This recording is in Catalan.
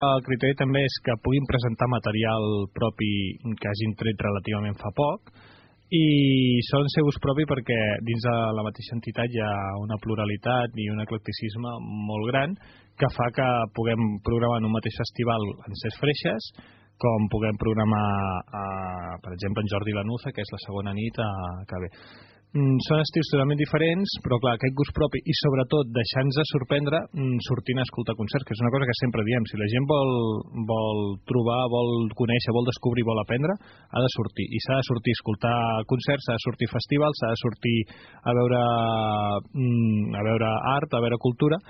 El criteri també és que puguin presentar material propi que hagin tret relativament fa poc i solen ser gust propi perquè dins de la mateixa entitat hi ha una pluralitat i un eclecticisme molt gran que fa que puguem programar en un mateix festival en Ses Freixes com puguem programar, per exemple, en Jordi Lanuza, que és la segona nit que ve. Són estils totalment diferents, però clar, aquest gust propi i sobretot deixar-nos sorprendre sortint a escoltar concerts, que és una cosa que sempre diem, si la gent vol trobar, vol conèixer, vol descobrir, vol aprendre, ha de sortir, i s'ha de sortir a escoltar concerts, s'ha de sortir a festivals, s'ha de sortir a veure art, a veure cultura.